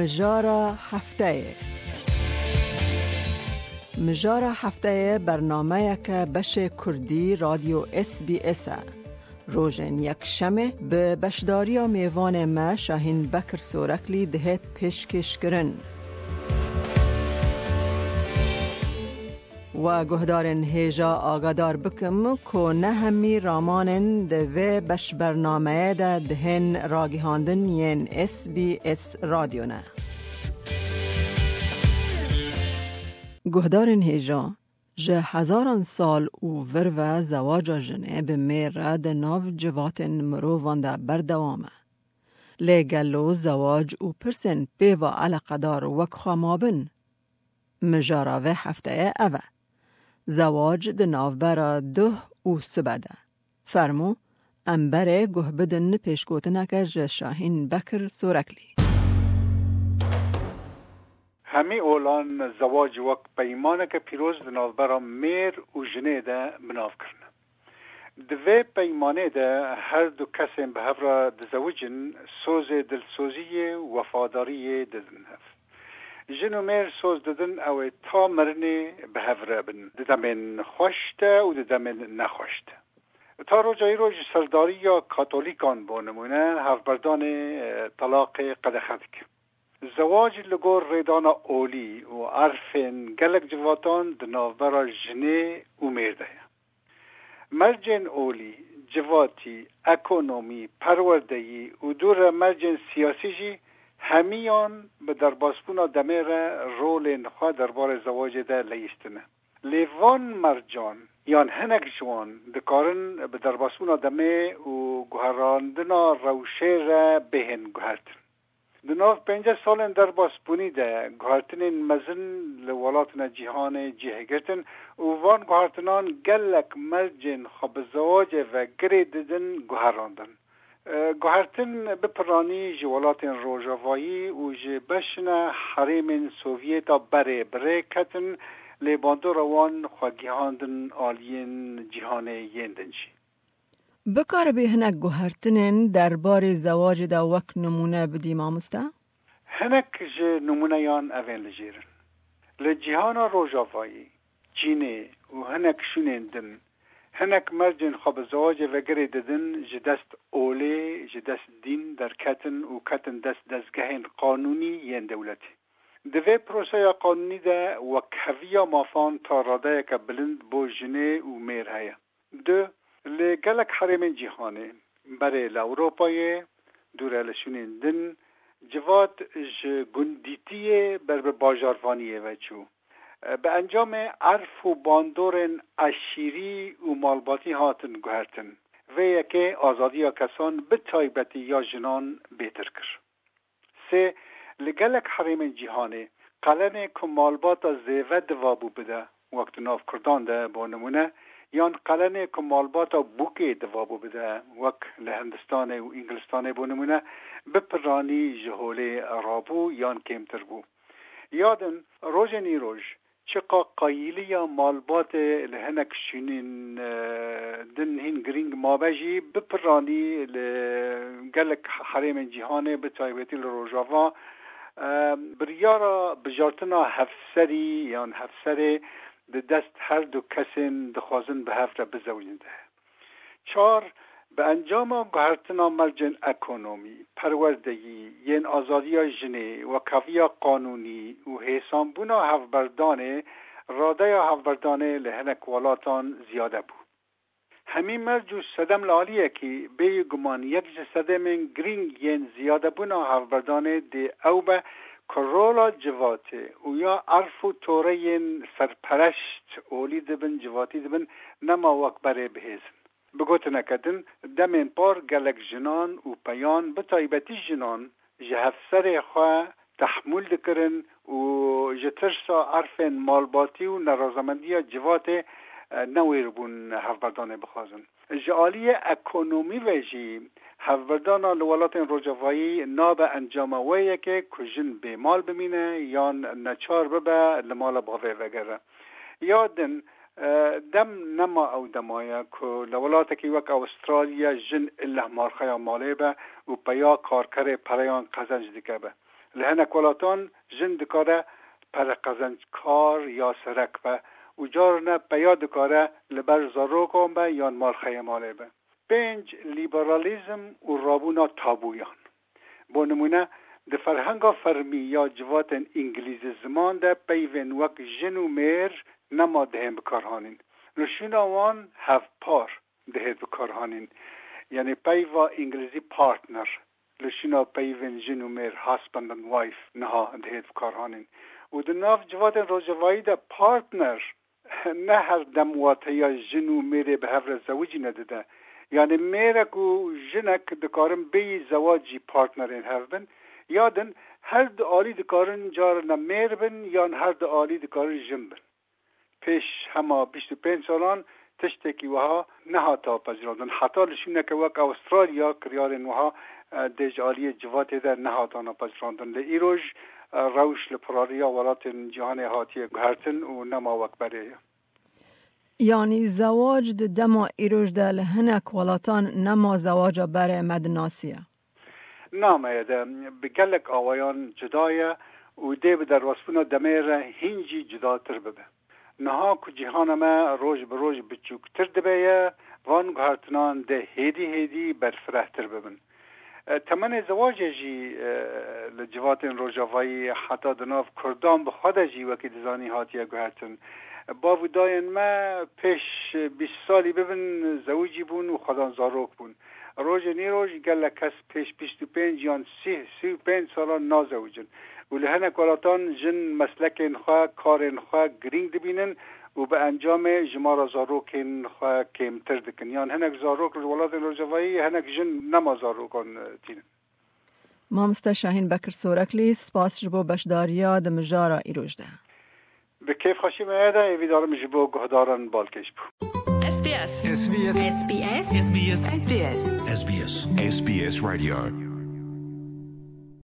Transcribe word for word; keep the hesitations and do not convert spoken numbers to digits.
Mijara hefteyê. Mijara hefteyê bernameyeke beşê kurdî Radyo S B S e. Rojên yekşemê bi beşdariya mêvanê me Şahîn Bekir Soreklî dihêt pêşkêşkirin. We guhdarên hêja agadar bikim ku ne hemî ramanên di vê beşbernameyê de dihên ragihandin yên S B S Radyo ne. Guhdarên hêja, ji hezaran sal û vir ve zewaca jinê bi mêr re di nav civatên mirovan de berdewam e. Lê gelo zewac û pirsên pê ve eleqedar wek xwe mabin? Mijara vê hefteyê ev e. Zewac di navbera duh û sibe de. Fermû, em berê guh bidin pêşgotineke ji Şahîn Bekir Soreklî. Hemî olan zewac wek peymaneke pîroz di navbera mêr û jinê de bi nav kirine. Di vê peymanê de her du kesên bi hev re dizewicin, sozê dilsoziyê û wefadariyê didin hev. Jin û mêr soz didin ew ê ta mirinê bi hev re bin, di demên xweş de û di demên nexweş de. Ta roja îro ji serdariya Katolîkan bo nimûne hevberdanê, e, telaqê qedexe dike. Zewac li gor rêdana olî û erfên gelek civatan di navbera jinê û mêr de ye. Mercên olî, civatî, ekonomî, perwerdeyî û dû re mercên siyasî jî hemiyan bi derbasbûna demê re rolên xwe derbarê zewacê de leyîstine. Lê van mercan yan hinek ji wan dikarin bi derbasbûna demê û guherandina rewşê re bihên guhertin. Di nav pênceh salên derbasbûnî de guhertinên mezin li welatine cîhanê cih girtin û van guhertinan gelek mercên xwe bi zewacê ve girê didin guherandin. E, guhertin bi piranî ji welatên rojavayî û ji beşine herêmên Sovyêta berê bi rê ketin, lê bandora wan xwe gihandin aliyên cîhanê yên din jî. Bikaribî hinek guhertinên derbarê zewacê de wek nimûne bidî, mamoste? Hinek ji nimûneyan ev ên li jêr in. Li cîhana rojavayî, Çînê û hinek şûnên din, hinek mercên xwe bi zewacê ve girê didin, ji dest olê, ji dest dîn derketin û ketin dest dezgehên qanûnî yên dewletê. Di vê proseya qanûnî de wekheviya mafan ta radeyeke bilind bo jinê û mêr heye. Du, li gelek herêmên cîhanê, berê li Ewropayê, dûre li şûnên din, civat ji gundîtiyê ber bi bajarvaniyê ve çû. Bi encamê erf û bandorên eşîrî û malbatî hatin guhertin. Vê yekê azadiya kesan, bi taybetî ya jinan, bêtir kir. Sê, li gelek herêmên cîhanê, qelenê ku malbata zêve divabû bide, wek di nav Kurdan de, bo nimûne, yan qelenê ku malbata bûkê divabû bide, wek li Hindistanê û Îngilistanê, bo nimûne, bi piranî ji holê rabû yan kêmtir bû. Ya din, rojên îroj, çiqa qayîliya malbatê li hinek şûnên, e, din hîn girîng mabe jî, bi piranî li gelek herêmên cîhanê, bi taybetî li Rojava, e, biryara bijartina hevserî yan hevserê di dest her du kesên dixwazin bi hev re bizewicin de. Çar, bi encama guhertina mercên ekonomî, perwerdeyî, yên azadiya jinê, wekheviya qanûnî û hêsanbûna hevberdanê, radeya hevberdanê li hinek welatan ziyade bû. Hemî merc û sedem li aliyekî, bêyî guman yek ji sedemên girîng yên ziyadebûna hevberdanê dê ew be ku rola civatê û ya erf û toreyên serpereşt olî dibin, civatî dibin, nema wek berê bihêz in. Bi gotineke din, demên par gelek jinan û peyan, bi taybetî jinan, ji hevserê xwe tehmûl dikirin û ji tirsa erfên malbatî û nerazemendiya civatê, e, newêr bûn hevberdanê bixwazin. Ji aliyê ekonomî ve jî hevberdana li welatên rojavayî nabe encama wê yekê ku jin bêmal bimîne yan neçar bibe li mala bavê vegere. Ya din, e, dem nema ew dema ye ku li welatekî wek Awustralya jin illeh marxeya malê be û peya karkerê pereyan qezenc dike be. Li hinek welatan jin dikare pereqezenckar ya serek be û carine peya dikare li ber zarokan be yan malxeyê malê be. Pênc, lîberalîzm û rabûna tabûyan. Bo nimûne, di ferhenga fermî ya civatên îngilîzî ziman de peyvên wek jin û mêr nema dihên bikarhanîn. Li şûna wan hevpar dihêt bikarhanîn. Yanî peyva îngilîzî partner, li şûna peyvên jin û mêr husband and wife niha dihêt bikarhanîn. Û di nav civatên rojavayî de partner ne her dem wateya jin û mêrê bi hev re zewicîne dide. Yanî mêrek û jinek dikarin bêyî zewac jî partnerên hev bin. Ya din her du alî dikarin carina mêr bin yan her du alî dikarin jin bin. Pêş hema bîst û pênc salan tiştekî wiha nehata pejirandin. Heta li şûneke wek Awistralya kiryarên wiha, e, dê ji aliyê civatê de nehatana pejirandin. Lê îroj, e, rewş li pirariya welatên cîhanê hatiye guhertin û nema wek berê ye. Yanî zewac di dema îroj de li hinek welatan nema zewaca berê me dinasiye? Nameye de bi gelek awayan cuda ye û dê bi derbasbûna demê re hîn jî cudatir bibe. Niha ku cîhana me roj bi roj biçûktir dibe ye, van guhertinan dê hêdî hêdî berfirehtir bibin. E, temenê zewacê jî, e, li civatên rojavayî heta di nav Kurdan bi xwe de jî wekî dizanî hatiye guhertin. Bav û dayên me pêş bîst salî bibin zewicî bûn û xwedan zarok bûn. Rojên îroj gelek kes pêş bîst û pênc yan sî, sî û pênc salan nazewicin û li hinek welatan jin meslekên xwe, karên xwe girîng dibînin û bi encamê jimara zarokên xwe kêmtir dikin. Yan hinek zarok li welatên rojavayî, hinek jin nema zarokan, e, tînin. Mamoste Şahîn Bekir Soreklî, spas ji bo beşdariya di mijara îroj de. Bi kêfxweşî me ye de, êvî darim ji bo guhdaran balkêş bû. S B S. S B S. S B S. S B S. S B S. S B S. S B S Radio.